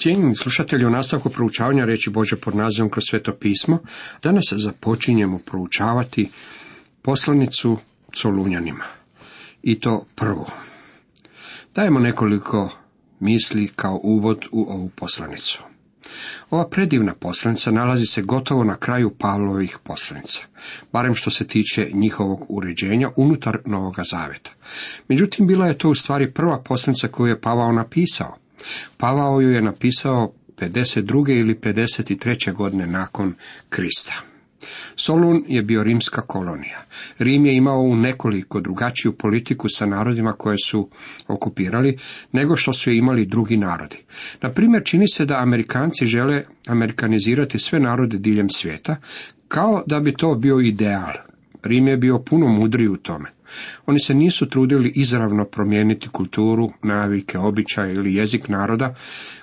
Cijenjeni slušatelji, u nastavku proučavanja riječi Božje pod nazivom Kroz sveto pismo, danas započinjemo proučavati poslanicu Solunjanima. I to prvu. Dajemo nekoliko misli kao uvod u ovu poslanicu. Ova predivna poslanica nalazi se gotovo na kraju Pavlovih poslanica, barem što se tiče njihovog uređenja unutar Novoga Zaveta. Međutim, bila je to u stvari prva poslanica koju je Pavao napisao. Pavao ju je napisao 52. ili 53. godine nakon Krista. Solun je bio rimska kolonija. Rim je imao u nekoliko drugačiju politiku sa narodima koje su okupirali, nego što su je imali drugi narodi. Na primjer, čini se da Amerikanci žele amerikanizirati sve narode diljem svijeta, kao da bi to bio ideal. Rim je bio puno mudriji u tome. Oni se nisu trudili izravno promijeniti kulturu, navike, običaje ili jezik naroda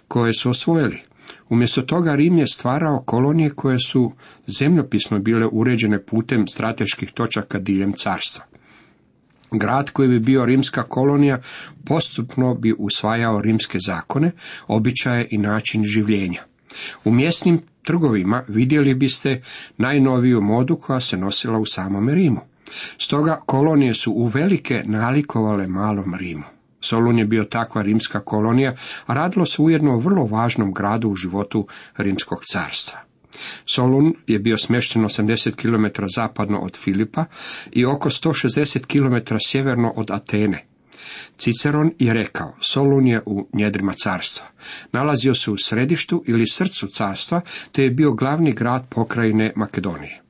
koje su osvojili. Umjesto toga Rim je stvarao kolonije koje su zemljopisno bile uređene putem strateških točaka diljem carstva. Grad koji bi bio rimska kolonija postupno bi usvajao rimske zakone, običaje i način življenja. U mjesnim trgovima vidjeli biste najnoviju modu koja se nosila u samom Rimu. Stoga kolonije su uvelike nalikovale malom Rimu. Solun je bio takva rimska kolonija, a radilo se ujedno o vrlo važnom gradu u životu rimskog carstva. Solun je bio smješten 80 km zapadno od Filipa i oko 160 km sjeverno od Atene. Ciceron je rekao, Solun je u njedrima carstva. Nalazio se u središtu ili srcu carstva, te je bio glavni grad pokrajine Makedonije.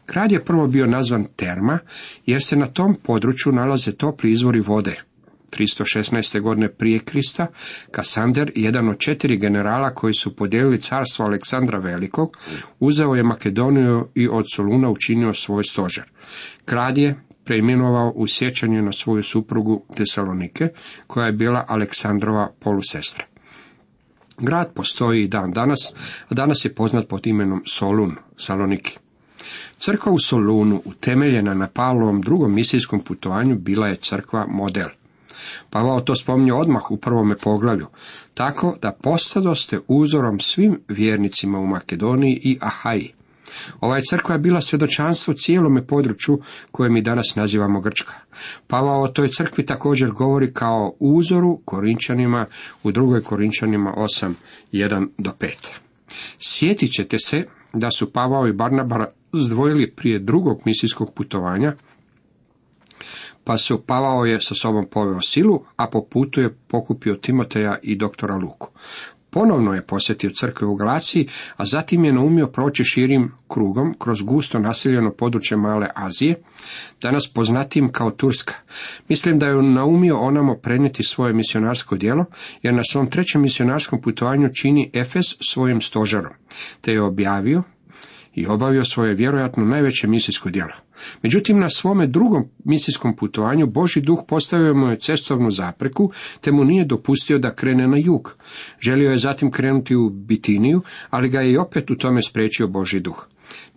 Grad je prvo bio nazvan Terma, jer se na tom području nalaze topli izvori vode. 316. godine prije Krista, Kasander, jedan od 4 generala koji su podijelili carstvo Aleksandra Velikog, uzeo je Makedoniju i od Soluna učinio svoj stožer. Kralj je preimenovao u sjećanje na svoju suprugu Tesalonike, koja je bila Aleksandrova polusestra. Grad postoji i dan danas, a danas je poznat pod imenom Solun, Saloniki. Crkva u Solunu, utemeljena na Pavlovom drugom misijskom putovanju, bila je crkva model. Pavao to spominje odmah u prvome poglavlju, tako da postadoste uzorom svim vjernicima u Makedoniji i Ahaji. Ova crkva je bila svjedočanstvo cijelome području koje mi danas nazivamo Grčka. Pavao o toj crkvi također govori kao uzoru Korinčanima u 2. Korinčanima 8, 1-5. Sjetit ćete se da su Pavao i Barnaba zdvojili prije drugog misijskog putovanja, pa su Pavao je sa sobom poveo Silu, a po putu je pokupio Timoteja i doktora Luku. Ponovno je posjetio crkve u Galaciji, a zatim je naumio proći širim krugom kroz gusto naseljeno područje Male Azije, danas poznatijim kao Turska. Mislim da je naumio onamo prenijeti svoje misionarsko djelo, jer na svom 3. misionarskom putovanju čini Efes svojim stožerom, te je objavio i obavio svoje vjerojatno najveće misijsko djelo. Međutim, na svome drugom misijskom putovanju Božji duh postavio mu je cestovnu zapreku, te mu nije dopustio da krene na jug. Želio je zatim krenuti u Bitiniju, ali ga je i opet u tome spriječio Božji duh.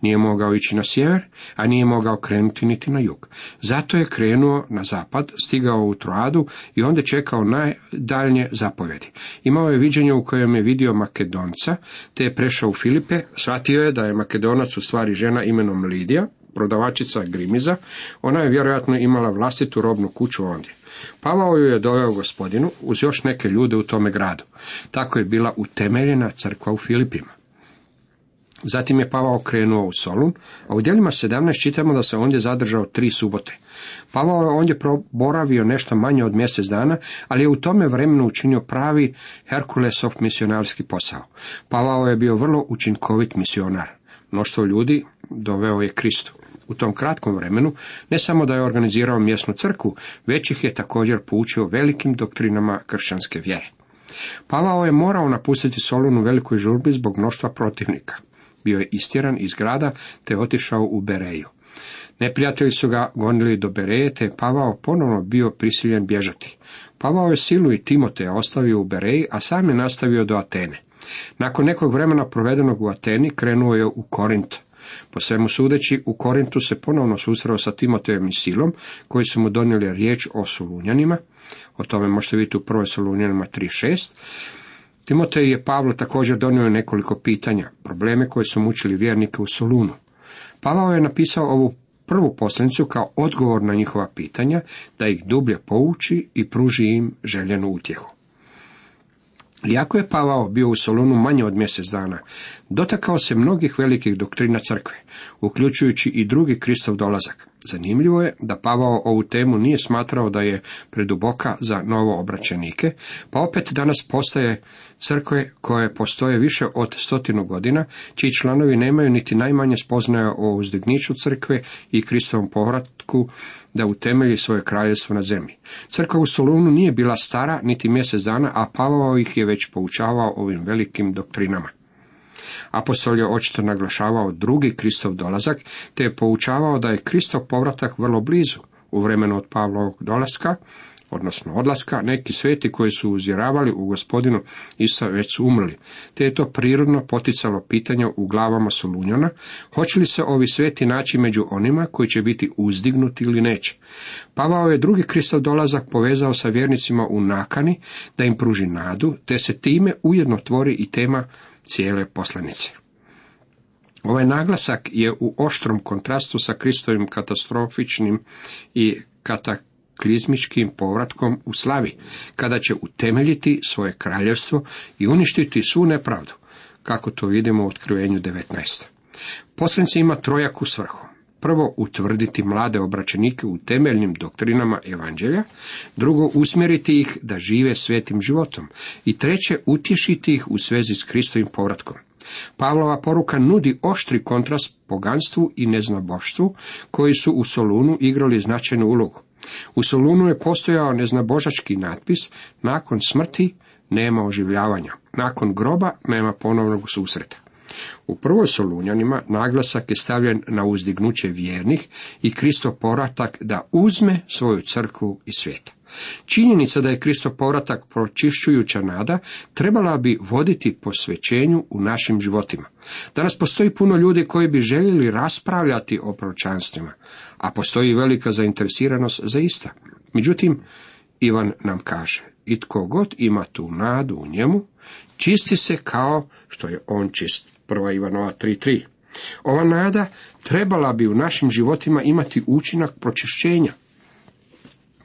Nije mogao ići na sjever, a nije mogao krenuti niti na jug. Zato je krenuo na zapad, stigao u Troadu i onda čekao najdaljnje zapovjedi. Imao je viđenje u kojem je vidio Makedonca, te je prešao u Filipe, shvatio je da je Makedonac u stvari žena imenom Lidija, prodavačica grimiza. Ona je vjerojatno imala vlastitu robnu kuću ondje. Pavao ju je doveo Gospodinu uz još neke ljude u tome gradu. Tako je bila utemeljena crkva u Filipima. Zatim je Pavao krenuo u Solun, a u djelima 17 čitamo da se ondje zadržao 3 subote. Pavao je ondje boravio nešto manje od mjesec dana, ali je u tome vremenu učinio pravi Herkulesov misionarski posao. Pavao je bio vrlo učinkovit misionar. Mnoštvo ljudi doveo je Kristu. U tom kratkom vremenu ne samo da je organizirao mjesnu crkvu, već ih je također poučio velikim doktrinama kršćanske vjere. Pavao je morao napustiti Solun u velikoj žurbi zbog mnoštva protivnika. Bio je istjeran iz grada te otišao u Bereju. Neprijatelji su ga gonili do Bereje, te je Pavao ponovno bio prisiljen bježati. Pavao je Silu i Timoteja ostavio u Bereji, a sam je nastavio do Atene. Nakon nekog vremena provedenog u Ateni krenuo je u Korint. Po svemu sudeći, u Korintu se ponovno susreo sa Timotejem i Silom, koji su mu donijeli riječ o Solunjanima. O tome možete vidjeti u 1. Solunjanima 3.6. Timotej je Pavlu također donio nekoliko pitanja, probleme koje su mučili vjernike u Solunu. Pavao je napisao ovu prvu poslanicu kao odgovor na njihova pitanja, da ih dublje pouči i pruži im željenu utjehu. Iako je Pavao bio u Solunu manje od mjesec dana, dotakao se mnogih velikih doktrina crkve, uključujući i drugi Kristov dolazak. Zanimljivo je da Pavao ovu temu nije smatrao da je preduboka za novoobraćenike, pa opet danas postoje crkve koje postoje više od 100 godina, čiji članovi nemaju niti najmanje spoznaja o uzdigniću crkve i Kristovom povratku da utemelji svoje kraljevstvo na zemlji. Crkva u Solunu nije bila stara niti mjesec dana, a Pavao ih je već poučavao ovim velikim doktrinama. Apostol je očito naglašavao drugi Kristov dolazak, te je poučavao da je Kristov povratak vrlo blizu. U vremenu od Pavlovog dolaska, odnosno odlaska, neki sveti koji su uzvjeravali u Gospodinu Isusa već su umrli, te je to prirodno poticalo pitanja u glavama Solunjana, hoće li se ovi sveti naći među onima koji će biti uzdignuti ili neće. Pavao je drugi Kristov dolazak povezao sa vjernicima u nakani da im pruži nadu, te se time ujedno tvori i tema cijele poslanice. Ovaj naglasak je u oštrom kontrastu sa Kristovim katastrofičnim i kataklizmičkim povratkom u slavi, kada će utemeljiti svoje kraljevstvo i uništiti svu nepravdu, kako to vidimo u Otkrivenju 19. Poslanica ima trojaku svrhu. Prvo, utvrditi mlade obraćenike u temeljnim doktrinama evanđelja, drugo, usmjeriti ih da žive svetim životom i treće, utješiti ih u svezi s Kristovim povratkom. Pavlova poruka nudi oštri kontrast poganstvu i neznaboštvu, koji su u Solunu igrali značajnu ulogu. U Solunu je postojao neznabožački natpis: nakon smrti nema oživljavanja, nakon groba nema ponovnog susreta. U prvoj Solunjanima naglasak je stavljen na uzdignuće vjernih i Kristov povratak da uzme svoju crkvu iz svijeta. Činjenica da je Kristov povratak pročišćujuća nada trebala bi voditi posvećenju u našim životima. Danas postoji puno ljudi koji bi željeli raspravljati o proročanstvima, a postoji velika zainteresiranost za ista. Međutim, Ivan nam kaže: i tko god ima tu nadu u njemu, čisti se kao što je on čist. 1. Ivanova 3.3. Ova nada trebala bi u našim životima imati učinak pročišćenja.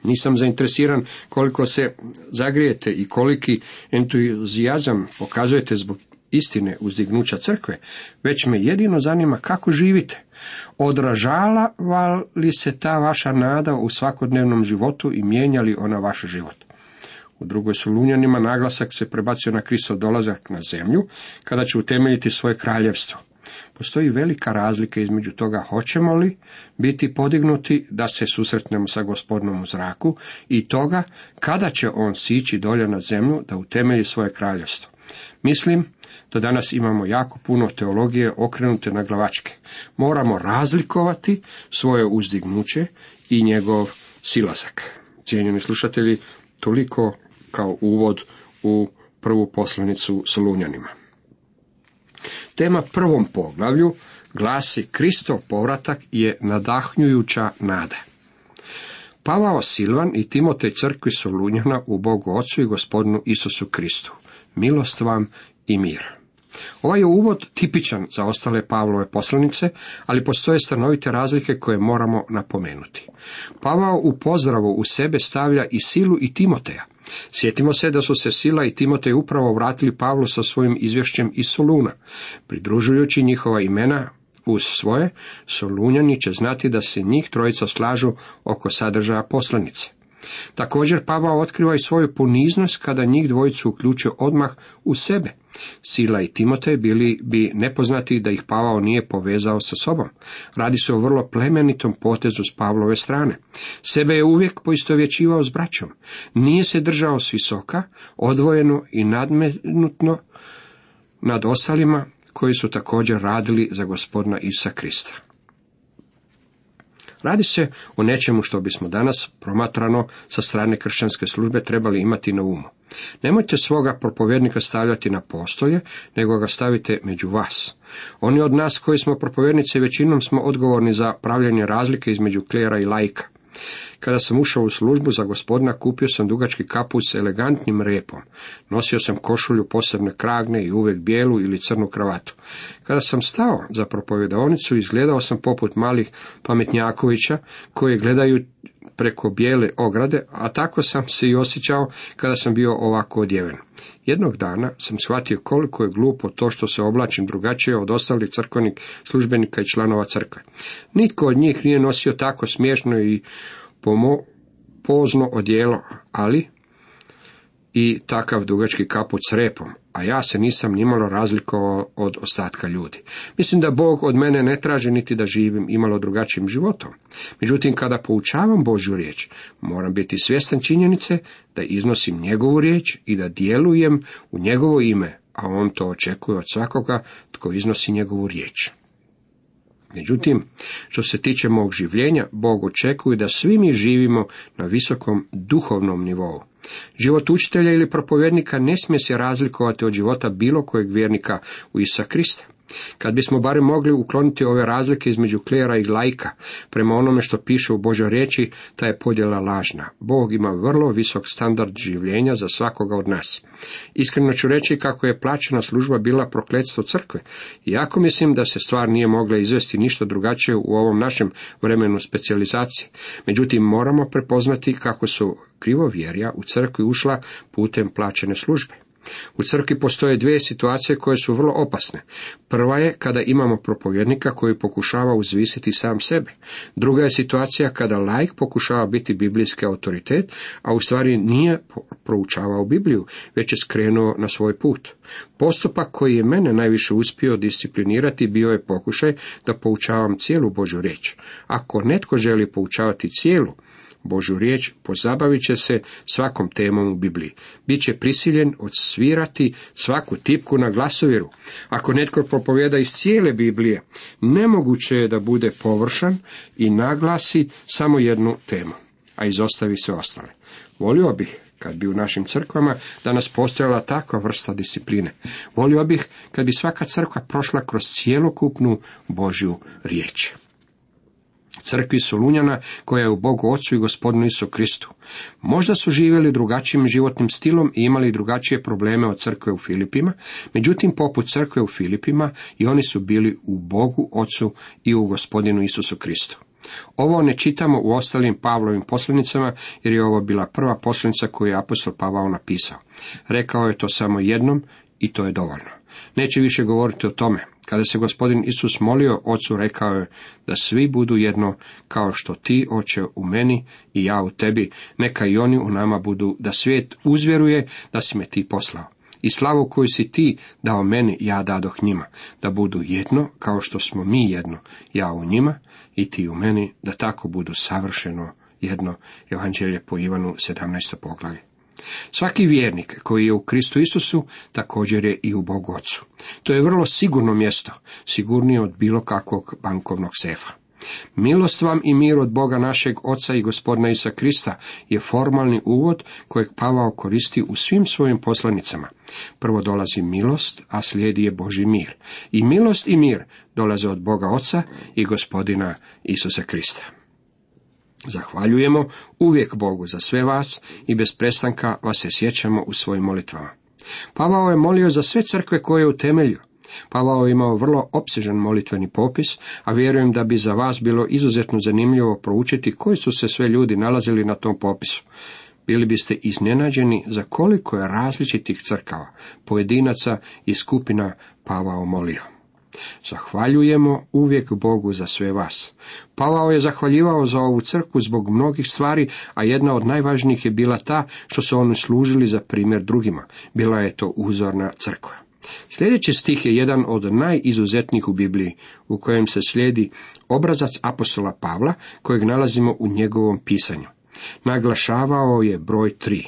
Nisam zainteresiran koliko se zagrijete i koliki entuzijazam pokazujete zbog istine uzdignuća crkve, već me jedino zanima kako živite. Odražava li se ta vaša nada u svakodnevnom životu i mijenja li ona vaš život? U drugoj Solunjanima naglasak se prebacio na Kristov dolazak na zemlju, kada će utemeljiti svoje kraljevstvo. Postoji velika razlika između toga hoćemo li biti podignuti da se susretnemo sa Gospodinom u zraku i toga kada će on sići dolje na zemlju da utemelji svoje kraljevstvo. Mislim da danas imamo jako puno teologije okrenute na glavačke. Moramo razlikovati svoje uzdignuće i njegov silazak. Cijenjeni slušatelji, toliko kao uvod u prvu poslanicu Solunjanima. Tema prvom poglavlju glasi: Kristov povratak je nadahnjujuća nada. Pavao, Silvan i Timotej crkvi Solunjana u Bogu Ocu i Gospodinu Isusu Kristu. Milost vam i mir. Ovaj je uvod tipičan za ostale Pavlove poslanice, ali postoje stanovite razlike koje moramo napomenuti. Pavao u pozdravu u sebe stavlja i Silu i Timoteja. Sjetimo se da su se Sila i Timotej upravo vratili Pavlu sa svojim izvješćem iz Soluna. Pridružujući njihova imena uz svoje, Solunjani će znati da se njih trojica slažu oko sadržaja poslanice. Također Pavao otkriva i svoju poniznost kada njih dvojicu uključuje odmah u sebe. Sila i Timotej bili bi nepoznati da ih Pavao nije povezao sa sobom. Radi se o vrlo plemenitom potezu s Pavlove strane. Sebe je uvijek poistovjećivao s braćom. Nije se držao s visoka, odvojeno i nadmenutno nad ostalima koji su također radili za Gospodina Isusa Krista. Radi se o nečemu što bismo danas promatrano sa strane kršćanske službe trebali imati na umu. Nemojte svoga propovjednika stavljati na postolje, nego ga stavite među vas. Oni od nas koji smo propovjednici većinom smo odgovorni za pravljenje razlike između klera i laika. Kada sam ušao u službu za Gospodina, kupio sam dugački kaput s elegantnim repom. Nosio sam košulju posebne kragne i uvijek bijelu ili crnu kravatu. Kada sam stao za propovedonicu, izgledao sam poput malih pametnjakovića koji gledaju preko bijele ograde, a tako sam se i osjećao kada sam bio ovako odjeven. Jednog dana sam shvatio koliko je glupo to što se oblačim drugačije od ostalih crkvenih službenika i članova crkve. Nitko od njih nije nosio tako smiješno i pozno odijelo, ali i takav dugački kaput s repom, a ja se nisam nimalo razlikovao od ostatka ljudi. Mislim da Bog od mene ne traži niti da živim imalo drugačijim životom. Međutim, kada poučavam Božju riječ, moram biti svjestan činjenice da iznosim njegovu riječ i da djelujem u njegovo ime, a on to očekuje od svakoga tko iznosi njegovu riječ. Međutim, što se tiče mog življenja, Bog očekuje da svi mi živimo na visokom duhovnom nivou. Život učitelja ili propovjednika ne smije se razlikovati od života bilo kojeg vjernika u Isusa Krista. Kad bismo barem mogli ukloniti ove razlike između klera i laika, prema onome što piše u Božoj riječi, ta je podjela lažna. Bog ima vrlo visok standard življenja za svakoga od nas. Iskreno ću reći kako je plaćena služba bila prokletstvo crkve, iako mislim da se stvar nije mogla izvesti ništa drugačije u ovom našem vremenu specijalizacije. Međutim, moramo prepoznati kako su krivovjerja u crkvi ušla putem plaćene službe. U crkvi postoje dvije situacije koje su vrlo opasne. Prva je kada imamo propovjednika koji pokušava uzvisiti sam sebe. Druga je situacija kada laik pokušava biti biblijski autoritet, a u stvari nije proučavao Bibliju, već je skrenuo na svoj put. Postupak koji je mene najviše uspio disciplinirati bio je pokušaj da poučavam cijelu Božju riječ. Ako netko želi poučavati cijelu Božju riječ, pozabavit će se svakom temom u Bibliji. Biće prisiljen odsvirati svaku tipku na glasoviru. Ako netko propovjeda iz cijele Biblije, nemoguće je da bude površan i naglasi samo jednu temu, a izostavi sve ostale. Volio bih kad bi u našim crkvama danas postojala takva vrsta discipline. Volio bih kad bi svaka crkva prošla kroz cjelokupnu Božju riječ. Crkvi Solunjana, koja je u Bogu Ocu i Gospodinu Isusu Kristu. Možda su živjeli drugačijim životnim stilom i imali drugačije probleme od crkve u Filipima, međutim poput crkve u Filipima i oni su bili u Bogu Ocu i u Gospodinu Isusu Kristu. Ovo ne čitamo u ostalim Pavlovim poslanicama, jer je ovo bila prva poslanica koju je apostol Pavao napisao. Rekao je to samo jednom i to je dovoljno. Neće više govoriti o tome. Kada se Gospodin Isus molio Ocu, rekao je da svi budu jedno, kao što ti, Oče, u meni i ja u tebi, neka i oni u nama budu, da svijet uzvjeruje da si me ti poslao. I slavu koju si ti dao meni, ja dadoh njima, da budu jedno, kao što smo mi jedno, ja u njima i ti u meni, da tako budu savršeno jedno. Evanđelje po Ivanu, 17. poglavlje. Svaki vjernik koji je u Kristu Isusu također je i u Bogu Ocu. To je vrlo sigurno mjesto, sigurnije od bilo kakvog bankovnog sefa. Milost vam i mir od Boga našeg Oca i Gospodina Isusa Krista je formalni uvod kojeg Pavao koristi u svim svojim poslanicama. Prvo dolazi milost, a slijedi je Božji mir. I milost i mir dolaze od Boga Oca i Gospodina Isusa Krista. Zahvaljujemo uvijek Bogu za sve vas i bez prestanka vas se sjećamo u svojim molitvama. Pavao je molio za sve crkve koje je utemeljio. Pavao je imao vrlo opsežan molitveni popis, a vjerujem da bi za vas bilo izuzetno zanimljivo proučiti koji su se sve ljudi nalazili na tom popisu. Bili biste iznenađeni za koliko je različitih crkava, pojedinaca i skupina Pavao molio. Zahvaljujemo uvijek Bogu za sve vas. Pavao je zahvaljivao za ovu crkvu zbog mnogih stvari, a jedna od najvažnijih je bila ta što su oni služili za primjer drugima. Bila je to uzorna crkva. Sljedeći stih je jedan od najizuzetnijih u Bibliji, u kojem se slijedi obrazac apostola Pavla, kojeg nalazimo u njegovom pisanju. Naglašavao je broj 3.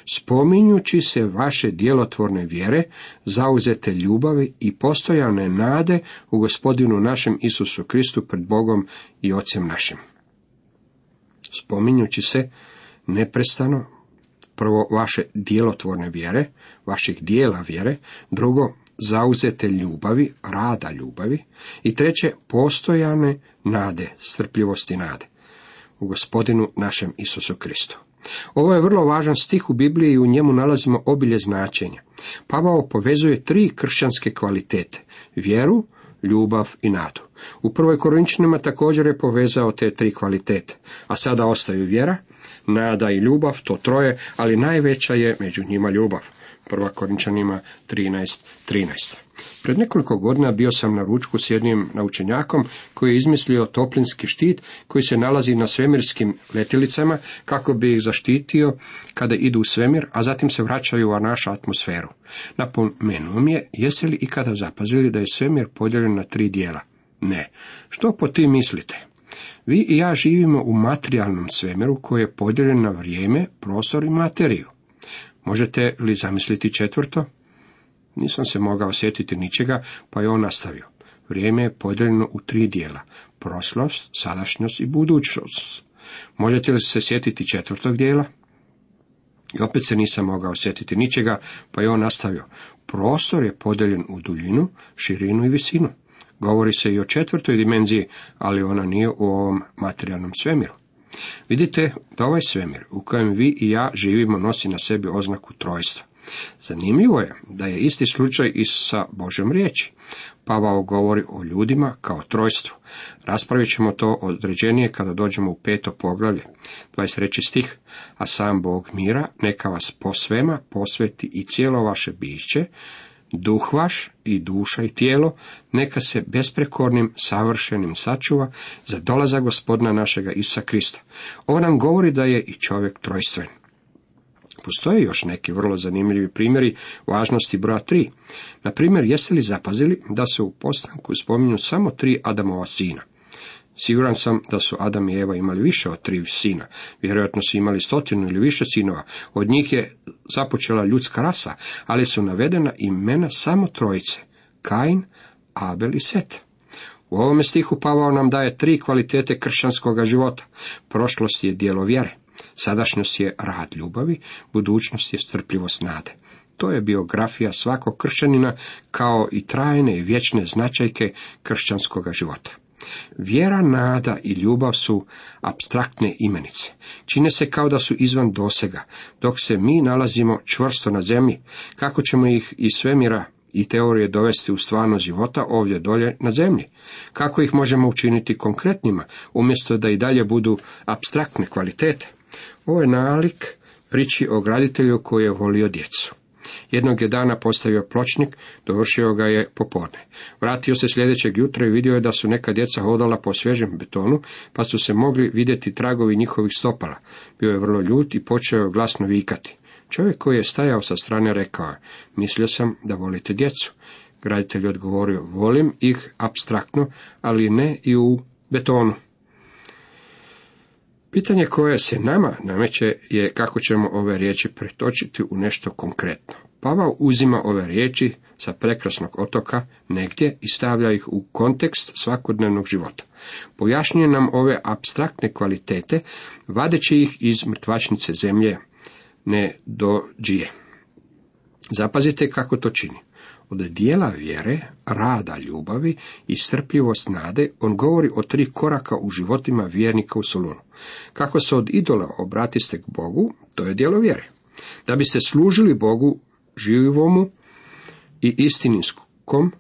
Spominjući se vaše djelotvorne vjere, zauzete ljubavi i postojane nade u Gospodinu našem Isusu Kristu pred Bogom i Ocem našim. Spominjući se neprestano, prvo vaše djelotvorne vjere, vaših dijela vjere, drugo zauzete ljubavi, rada ljubavi i treće postojane nade, strpljivosti nade. u Gospodinu našem Isusu Kristu. Ovo je vrlo važan stih u Bibliji i u njemu nalazimo obilje značenja. Pavao povezuje 3 kršćanske kvalitete: vjeru, ljubav i nadu. U 1. Korinčanima također je povezao te 3 kvalitete, a sada ostaju vjera, nada i ljubav, to 3, ali najveća je među njima ljubav. 1. Korinčanima 13:13. Pred nekoliko godina bio sam na ručku s jednim naučenjakom koji je izmislio toplinski štit koji se nalazi na svemirskim letjelicama kako bi ih zaštitio kada idu u svemir, a zatim se vraćaju u našu atmosferu. Napomenuo mi je, jeste li ikada zapazili da je svemir podijeljen na 3 dijela? Ne. Što po tim mislite? Vi i ja živimo u materijalnom svemiru koji je podijeljen na vrijeme, prostor i materiju. Možete li zamisliti 4? Nisam se mogao sjetiti ničega, pa je on nastavio. Vrijeme je podijeljeno u 3 dijela: prošlost, sadašnjost i budućnost. Možete li se sjetiti 4. dijela? I opet se nisam mogao sjetiti ničega, pa je on nastavio. Prostor je podijeljen u duljinu, širinu i visinu. Govori se i o 4. dimenziji, ali ona nije u ovom materijalnom svemiru. Vidite da ovaj svemir u kojem vi i ja živimo nosi na sebi oznaku trojstva. Zanimljivo je da je isti slučaj i sa Božjom riječi. Pavao govori o ljudima kao trojstvu. Raspravit ćemo to određenije kada dođemo u 5. poglavlje, 23. stih. A sam Bog mira neka vas po svema posveti i cijelo vaše biće, duh vaš i duša i tijelo, neka se besprekornim, savršenim sačuva za dolazak Gospodina našega Isusa Krista. Ovo nam govori da je i čovjek trojstven. Postoje još neki vrlo zanimljivi primjeri važnosti broja 3. Na primjer, jeste li zapazili da se u postanku spominju samo 3 Adamova sina? Siguran sam da su Adam i Eva imali više od 3 sina. Vjerojatno su imali 100 ili više sinova. Od njih je započela ljudska rasa, ali su navedena imena samo 3: Kain, Abel i Set. U ovome stihu Pavao nam daje 3 kvalitete kršćanskog života. Prošlost je djelo vjere, sadašnjost je rad ljubavi, budućnost je strpljivost nade. To je biografija svakog kršćanina, kao i trajne i vječne značajke kršćanskog života. Vjera, nada i ljubav su apstraktne imenice. Čine se kao da su izvan dosega, dok se mi nalazimo čvrsto na zemlji. Kako ćemo ih iz svemira i teorije dovesti u stvarnost života ovdje dolje na zemlji? Kako ih možemo učiniti konkretnima, umjesto da i dalje budu apstraktne kvalitete? Ovo je nalik priči o graditelju koji je volio djecu. Jednog je dana postavio pločnik, dovršio ga je popodne. Vratio se sljedećeg jutra i vidio je da su neka djeca hodala po svježem betonu, pa su se mogli vidjeti tragovi njihovih stopala. Bio je vrlo ljut i počeo je glasno vikati. Čovjek koji je stajao sa strane rekao je: mislio sam da volite djecu. Graditelj je odgovorio: volim ih apstraktno, ali ne i u betonu. Pitanje koje se nama nameće je kako ćemo ove riječi pretočiti u nešto konkretno. Pavao uzima ove riječi sa prekrasnog otoka negdje i stavlja ih u kontekst svakodnevnog života. Pojašnjuje nam ove apstraktne kvalitete, vadeći ih iz mrtvačnice zemlje nedođije. Zapazite kako to čini. Od dijela vjere, rada ljubavi i strpljivost nade, on govori o 3 koraka u životima vjernika u Solunu. Kako se od idola obratiste k Bogu, to je djelo vjere. Da biste služili Bogu živomu i istinskom,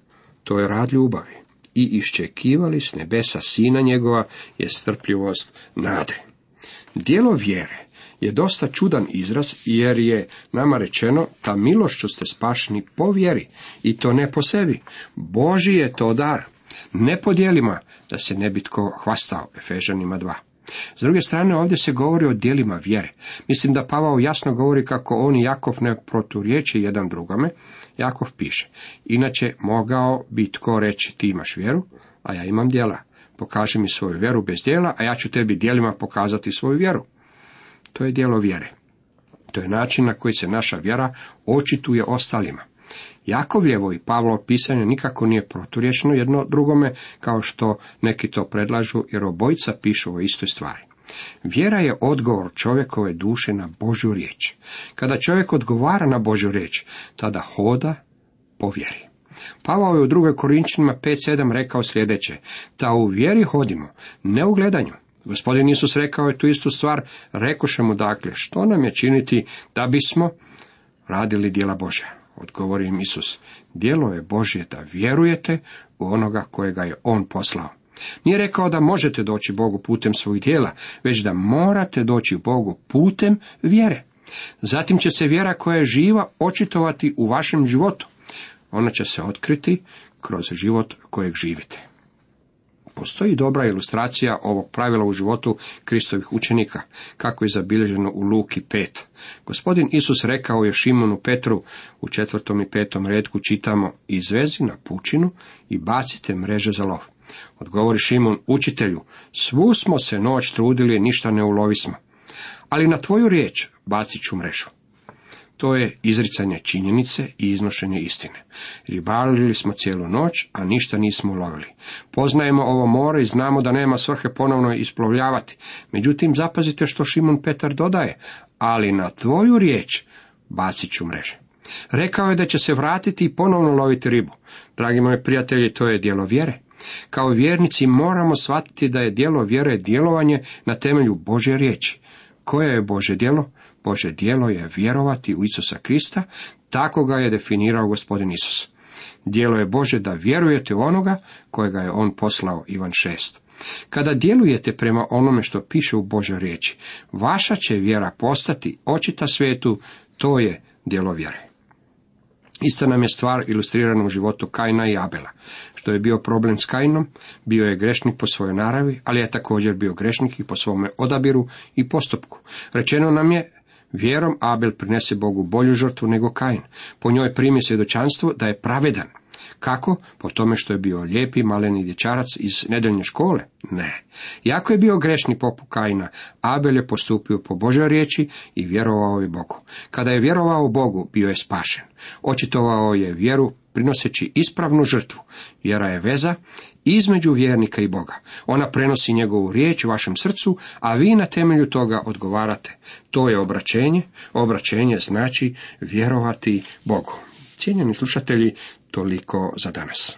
to je rad ljubavi. I iščekivali s nebesa sina njegova je strpljivost nade. Djelo vjere je dosta čudan izraz, jer je nama rečeno: ta milošću ste spašeni po vjeri, i to ne po sebi. Božji je to dar, ne po djelima, da se ne bi tko hvastao. Efežanima 2. S druge strane, ovdje se govori o djelima vjere. Mislim da Pavao jasno govori kako on i Jakov ne proturječe jedan drugome. Jakov piše: inače mogao bi tko reći: ti imaš vjeru, a ja imam djela. Pokaži mi svoju vjeru bez djela, a ja ću tebi djelima pokazati svoju vjeru. To je djelo vjere. To je način na koji se naša vjera očituje ostalima. Jakovljevo i Pavlovo pisanje nikako nije proturječno jedno drugome, kao što neki to predlažu, jer obojica pišu o istoj stvari. Vjera je odgovor čovjekove duše na Božju riječ. Kada čovjek odgovara na Božju riječ, tada hoda po vjeri. Pavao je u 2. Korinčanima 5:7 rekao sljedeće: ta u vjeri hodimo, ne u gledanju. Gospodin Isus rekao je tu istu stvar, rekoše mu dakle, što nam je činiti da bismo radili djela Božja? Odgovori im Isus, djelo je Božje da vjerujete u onoga kojega je On poslao. Nije rekao da možete doći Bogu putem svojih djela, već da morate doći Bogu putem vjere. Zatim će se vjera koja je živa očitovati u vašem životu. Ona će se otkriti kroz život kojeg živite. Postoji dobra ilustracija ovog pravila u životu Kristovih učenika, kako je zabilježeno u Luki 5. Gospodin Isus rekao je Šimonu Petru, u 4. i 5. retku čitamo, izvezi na pučinu i bacite mreže za lov. Odgovori Šimon, učitelju, svu smo se noć trudili, ništa ne ulovismo, ali na tvoju riječ bacit ću mrežu. To je izricanje činjenice i iznošenje istine. Ribarili smo cijelu noć, a ništa nismo ulovili. Poznajemo ovo more i znamo da nema svrhe ponovno isplovljavati. Međutim, zapazite što Šimon Petar dodaje, ali na tvoju riječ bacit ću mreže. Rekao je da će se vratiti i ponovno loviti ribu. Dragi moji prijatelji, to je djelo vjere. Kao vjernici moramo shvatiti da je djelo vjere djelovanje na temelju Božje riječi. Koje je Božje djelo? Božje djelo je vjerovati u Isusa Krista, tako ga je definirao gospodin Isus. Djelo je Božje da vjerujete u onoga kojega je On poslao, Ivan 6. Kada djelujete prema onome što piše u Božjoj riječi, vaša će vjera postati očita svijetu, to je djelo vjere. Ista nam je stvar ilustrirana u životu Kaina i Abela. Što je bio problem s Kainom, bio je grešnik po svojoj naravi, ali je također bio grešnik i po svome odabiru i postupku. Rečeno nam je, vjerom Abel prinese Bogu bolju žrtvu nego Kain. Po njoj primi svjedočanstvo da je pravedan. Kako? Po tome što je bio lijepi maleni dječarac iz nedeljne škole? Ne. Iako je bio grešni poput Kaina, Abel je postupio po Božjoj riječi i vjerovao je Bogu. Kada je vjerovao Bogu, bio je spašen. Očitovao je vjeru prinoseći ispravnu žrtvu. Vjera je veza između vjernika i Boga. Ona prenosi njegovu riječ vašem srcu, a vi na temelju toga odgovarate. To je obraćenje. Obraćenje znači vjerovati Bogu. Cijenjeni slušatelji, toliko za danas.